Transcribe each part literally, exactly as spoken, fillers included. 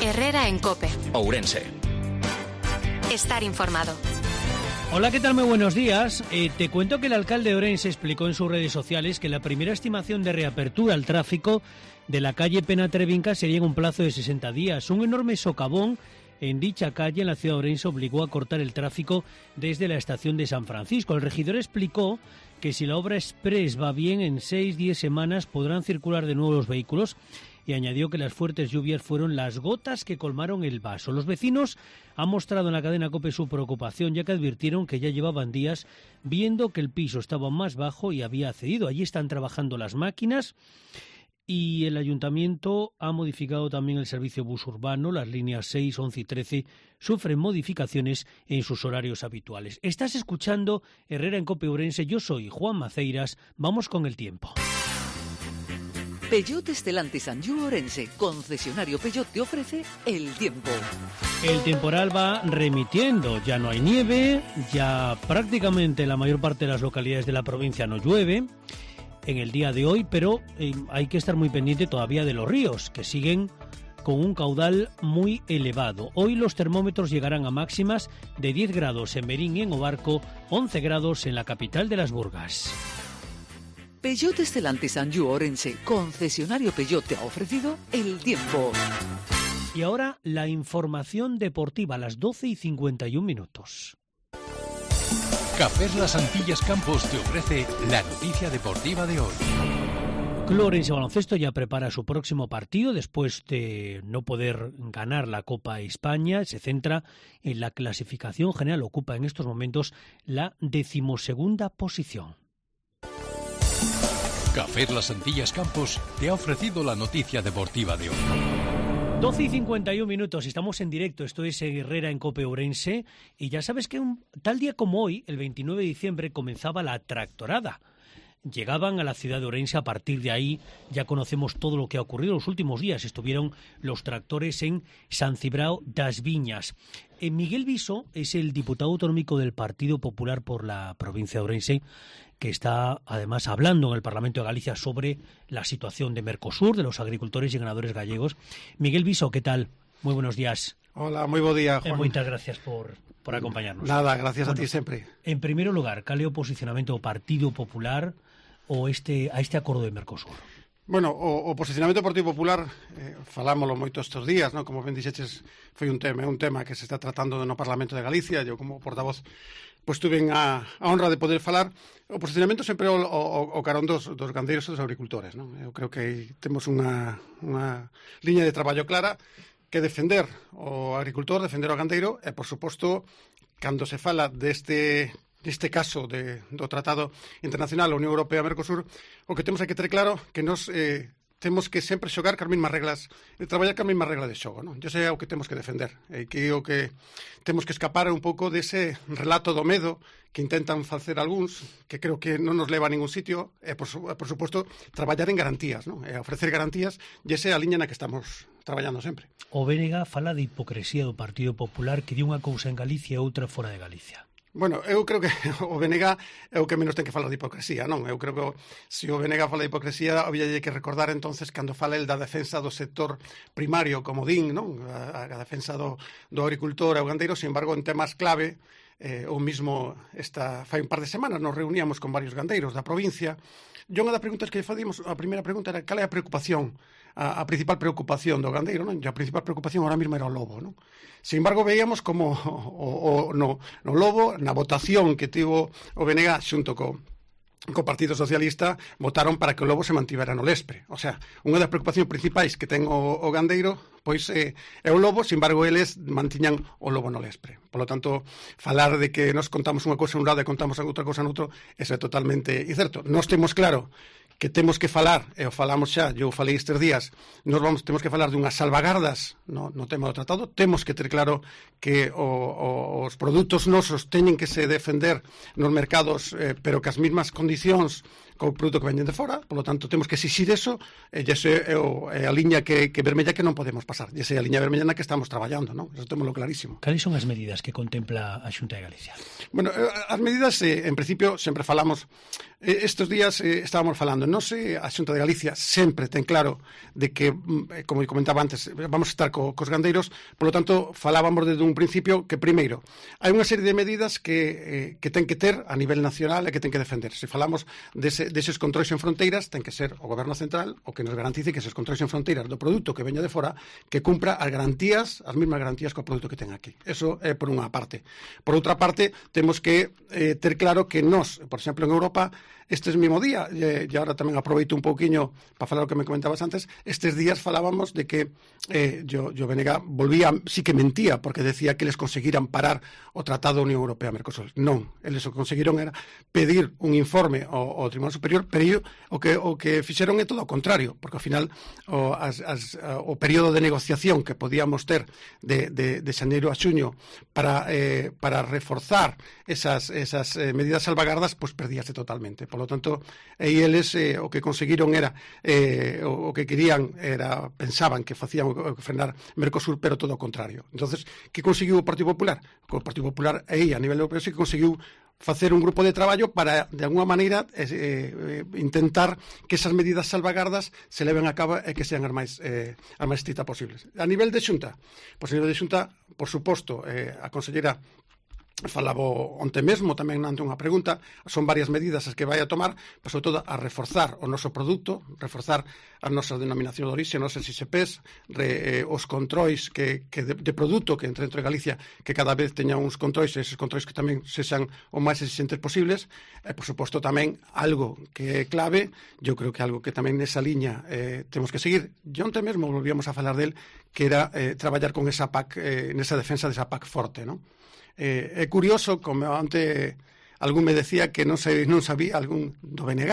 Herrera en COPE. Ourense. Estar informado. Hola, ¿qué tal? Muy buenos días. Eh, te cuento que el alcalde de Ourense explicó en sus redes sociales que la primera estimación de reapertura al tráfico de la calle Pena-Trevinca sería en un plazo de sesenta días. Un enorme socavón en dicha calle en la ciudad de Ourense obligó a cortar el tráfico desde la estación de San Francisco. El regidor explicó que si la obra express va bien, en seis a diez semanas podrán circular de nuevo los vehículos, y añadió que las fuertes lluvias fueron las gotas que colmaron el vaso. Los vecinos han mostrado en la cadena COPE su preocupación, ya que advirtieron que ya llevaban días viendo que el piso estaba más bajo y había cedido. Allí están trabajando las máquinas y el ayuntamiento ha modificado también el servicio bus urbano. Las líneas seis, once y trece sufren modificaciones en sus horarios habituales. Estás escuchando Herrera en COPE Ourense. Yo soy Juan Maceiras. Vamos con el tiempo. Peugeot Stellantis Anjou Ourense, concesionario Peugeot, te ofrece el tiempo. El temporal va remitiendo, ya no hay nieve, ya prácticamente la mayor parte de las localidades de la provincia no llueve en el día de hoy, pero eh, hay que estar muy pendiente todavía de los ríos, que siguen con un caudal muy elevado. Hoy los termómetros llegarán a máximas de diez grados en Merín y en Obarco, once grados en la capital de las Burgas. Peugeot Stellantis Anjou Ourense, concesionario Peugeot, te ha ofrecido el tiempo. Y ahora la información deportiva a las doce y cincuenta y un minutos. Cafés Las Antillas Campos te ofrece la noticia deportiva de hoy. Club Ourense Baloncesto ya prepara su próximo partido después de no poder ganar la Copa España. Se centra en la clasificación general. Ocupa en estos momentos la decimosegunda posición. Cafés Las Antillas Campos te ha ofrecido la noticia deportiva de hoy. doce y cincuenta y un minutos, estamos en directo, esto es Herrera en COPE Ourense, y ya sabes que un tal día como hoy, el veintinueve de diciembre, comenzaba la tractorada. Llegaban a la ciudad de Ourense, a partir de ahí ya conocemos todo lo que ha ocurrido. Los últimos días estuvieron los tractores en San Cibrao das Viñas. Eh, Miguel Viso es el diputado autonómico del Partido Popular por la provincia de Ourense, que está además hablando en el Parlamento de Galicia sobre la situación de Mercosur, de los agricultores y ganadores gallegos. Miguel Viso, ¿qué tal? Muy buenos días. Hola, muy buen día, Juan. Eh, muchas gracias por, por acompañarnos. Nada, gracias bueno, a ti sempre. En primer lugar, ¿cal é o posicionamento do Partido Popular o este, a este acordo de Mercosur? Bueno, o, o posicionamento do Partido Popular eh, falámoslo moito estes días, ¿no? Como ben dixeches, foi un tema, un tema que se está tratando no Parlamento de Galicia. Eu como portavoz pois tuve a, a honra de poder falar. O posicionamento sempre o, o, o carón dos, dos gandeiros e dos agricultores, ¿no? Eu creo que temos unha, unha liña de traballo clara, que defender o agricultor, defender o gandeiro, e, por suposto, cando se fala deste, deste caso de, do Tratado Internacional a Unión Europea-Mercosur, o que temos que ter claro que nos eh, temos que sempre xogar cas mesmas reglas, e traballar cas mesmas reglas de xogo, non? Yo sei o que temos que defender, e que o que temos que escapar un pouco dese relato do medo que intentan facer algúns, que creo que non nos leva a ningún sitio, e, por, por suposto, traballar en garantías, non? E ofrecer garantías, e esa é a liña na que estamos traballando sempre. O B N G fala de hipocresía do Partido Popular, que di unha cousa en Galicia e outra fora de Galicia. Bueno, eu creo que o B N G é o que menos ten que falar de hipocresía, non? Eu creo que se o B N G fala de hipocresía, había que recordar entonces cando fala el da defensa do sector primario, como din, non? A, a defensa do, do agricultor e o gandeiro, sin embargo, en temas clave, eh, o mismo esta, fai un par de semanas nos reuníamos con varios gandeiros da provincia. E unha das preguntas que facíamos, a primeira pregunta era cal é a preocupación, a, a principal preocupación do gandeiro, non? E a principal preocupación ahora mesmo era o lobo, non? Sin embargo, veíamos como o, o, no, no lobo, na votación que tivo o B N G xunto co, co Partido Socialista, votaron para que o lobo se mantivera no lespre. O sea, unha das preocupacións principais que ten o, o gandeiro pois eh, é o lobo, sin embargo, eles mantiñan o lobo no lespre. Por lo tanto, falar de que nos contamos unha cousa en un lado e contamos outra cousa no outro, eso é totalmente incerto. Nós temos claro que temos que falar, e o falamos xa, eu falei estes días, nos vamos, temos que falar dunhas salvagardas no, no tema do tratado, temos que ter claro que o, o, os produtos nosos teñen que se defender nos mercados, eh, pero que as mesmas condicións co produto que veñen de fora, polo tanto temos que exixir eso, e ese é, o, é a liña que, que vermella que non podemos pasar, e esa é a liña vermella na que estamos traballando, non? Eso témolo clarísimo. Cales son as medidas que contempla a Xunta de Galicia? Bueno, as medidas, eh, en principio, sempre falamos, eh, estes días eh, estábamos falando, non sei, a Xunta de Galicia sempre ten claro de que, eh, como comentaba antes, vamos a estar co, cos gandeiros, polo tanto, falábamos desde un principio que, primeiro, hai unha serie de medidas que, eh, que ten que ter a nivel nacional e que ten que defender. Se falamos dese, deses controis en fronteiras, ten que ser o Goberno Central o que nos garantice que eses controis en fronteiras do produto que veña de fora, que cumpra as garantías, as mesmas garantías co produto que ten aquí. Eso é por unha parte. Por outra parte, temos que eh, ter claro que nós, por exemplo, en Europa, estes mismo día, e, e agora tamén aproveito un pouquiño para falar o que me comentabas antes, estes días falábamos de que eh, yo, yo Venega volvía, sí que mentía, porque decía que les conseguiran parar o Tratado da Unión Europea-Mercosur. Non, eles o conseguiron era pedir un informe ao, ao Tribunal Superior, pero o que, o que fixeron é todo o contrario, porque ao final o, as, as, o período de negociación que podíamos ter de, de, de xaneiro a xuño para, eh, para reforzar esas, esas eh, medidas salvagardas, pois pues perdíase totalmente. Por lo tanto, aí eles eh, o que conseguiron era eh, o, o que querían era, pensaban que facían o que frenar Mercosur, pero todo o contrario. Entonces, que conseguiu o Partido Popular? O Partido Popular aí a nivel europeo sí que conseguiu facer un grupo de traballo para, de alguna maneira, eh, eh, intentar que esas medidas salvagardas se leven a cabo e que sean as máis, eh, as máis estritas posibles. A nivel de Xunta, pois a nivel de Xunta, por suposto, eh, a consellera falaba onte mesmo tamén ante unha pregunta, son varias medidas as que vai a tomar, pero sobre todo a reforzar o noso produto, reforzar as nosas denominacións de orixe, os nosos I S Ps, re, eh, os controis que, que de, de produto que entre dentro de Galicia, que cada vez teña uns controis, e eses controis que tamén se sean o máis exigentes posibles, e por suposto tamén algo que é clave, eu creo que algo que tamén nesa liña eh, temos que seguir, e onte mesmo volvíamos a falar del, que era eh, traballar con esa P A C, eh, nesa defensa desa P A C forte, non? Eh, é curioso, como ante algún me decía que non, se, non sabía, algún do B N G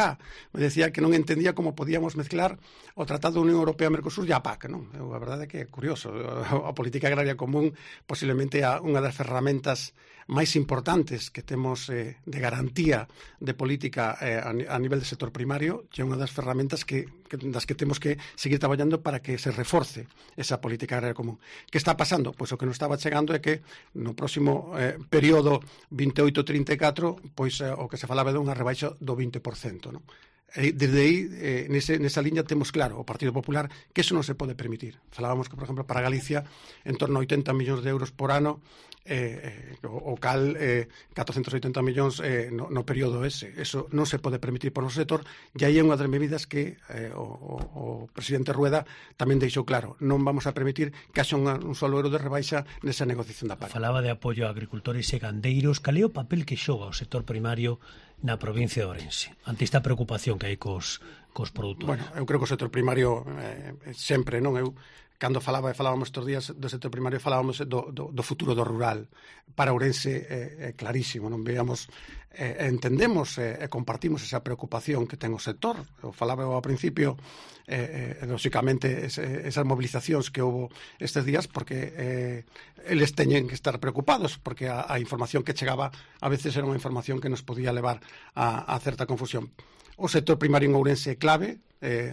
me decía que non entendía como podíamos mezclar o Tratado da Unión Europea-Mercosur e a P A C, non? Eu, a verdade é que é curioso. A política agraria común posiblemente é unha das ferramentas máis importantes que temos eh, de garantía de política eh, a, a nivel de sector primario, e é unha das ferramentas que, que, das que temos que seguir traballando para que se reforce esa política agraria común. Que está pasando? Pois o que nos estaba chegando é que no próximo eh, período veintioito trinta e catro, pois eh, o que se falaba de unha rebaixa do vinte por cento, non? E desde aí, eh, nese, nesa liña temos claro o Partido Popular que eso non se pode permitir. Falábamos que, por exemplo, para Galicia en torno a oitenta millóns de euros por ano, eh, eh, o, o cal eh, catrocentos oitenta millóns eh, no, no período ese. Eso non se pode permitir por o sector, e aí é unha das medidas que eh, o, o, o presidente Rueda tamén deixou claro. Non vamos a permitir que haxa un, un solo euro de rebaixa nesa negociación da P A C. Falaba de apoio a agricultores e gandeiros. Cal é o papel que xoga o sector primario na provincia de Ourense, ante esta preocupación que hai cos, cos produtores? Bueno, eu creo que o sector primario eh, sempre, non? Eu, cando falaba, falábamos estes días do sector primario, falábamos do, do, do futuro do rural. Para Ourense é, é clarísimo, non? Veamos, eh, entendemos e eh, compartimos esa preocupación que ten o sector. Eu falaba ao principio, eh, eh, lógicamente, ese, esas movilizacións que houve estes días, porque eh, eles teñen que estar preocupados, porque a, a información que chegaba a veces era unha información que nos podía levar a, a certa confusión. O sector primario en Ourense é clave. Eh,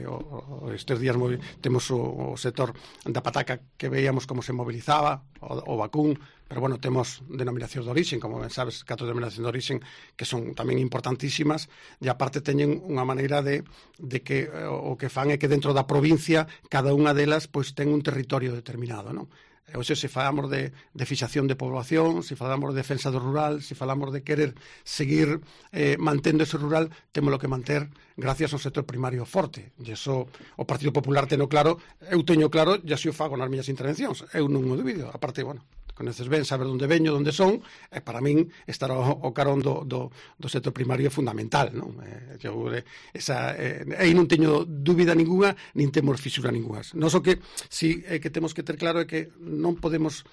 o, o, estes días temos o, o sector da pataca que veíamos como se mobilizaba, o, o vacún, pero bueno, temos denominacións de orixen, como ben sabes, catro denominacións de orixen que son tamén importantísimas, e aparte teñen unha maneira de, de que o, o que fan é que dentro da provincia cada unha delas pois ten un territorio determinado, non? Oxe, se falamos de, de fixación de población, se falamos de defensa do rural, se falamos de querer seguir eh, mantendo ese rural, temos lo que manter gracias ao sector primario forte. E iso o Partido Popular teno claro, eu teño claro, e así o fago nas miñas intervencións. Eu non o dubido. A parte, bueno, conoces ben, saber onde veño, onde son, e para min estar ao, ao carón do, do, do sector primario é fundamental, non? Eh, eu, esa, eh, aí non teño dúbida ninguna, nin temos fisura ninguna. Non só que, si é que temos que ter claro é que non podemos,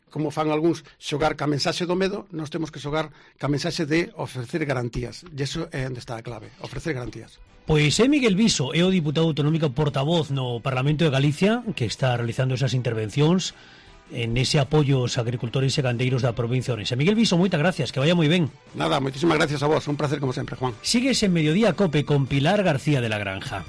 como fan algúns, xogar ca mensaxe do medo, nós temos que xogar ca mensaxe de ofrecer garantías. E iso é onde está a clave, ofrecer garantías. Pois é Miguel Viso, é o diputado autonómico portavoz no Parlamento de Galicia, que está realizando esas intervencións en ese apoyo aos agricultores e gandeiros da provincia de Ourense. Miguel Viso, moitas gracias, que vaya moi ben. Nada, moitísimas gracias a vos, un placer como sempre, Juan. Sigues en Mediodía Cope con Pilar García de la Granja.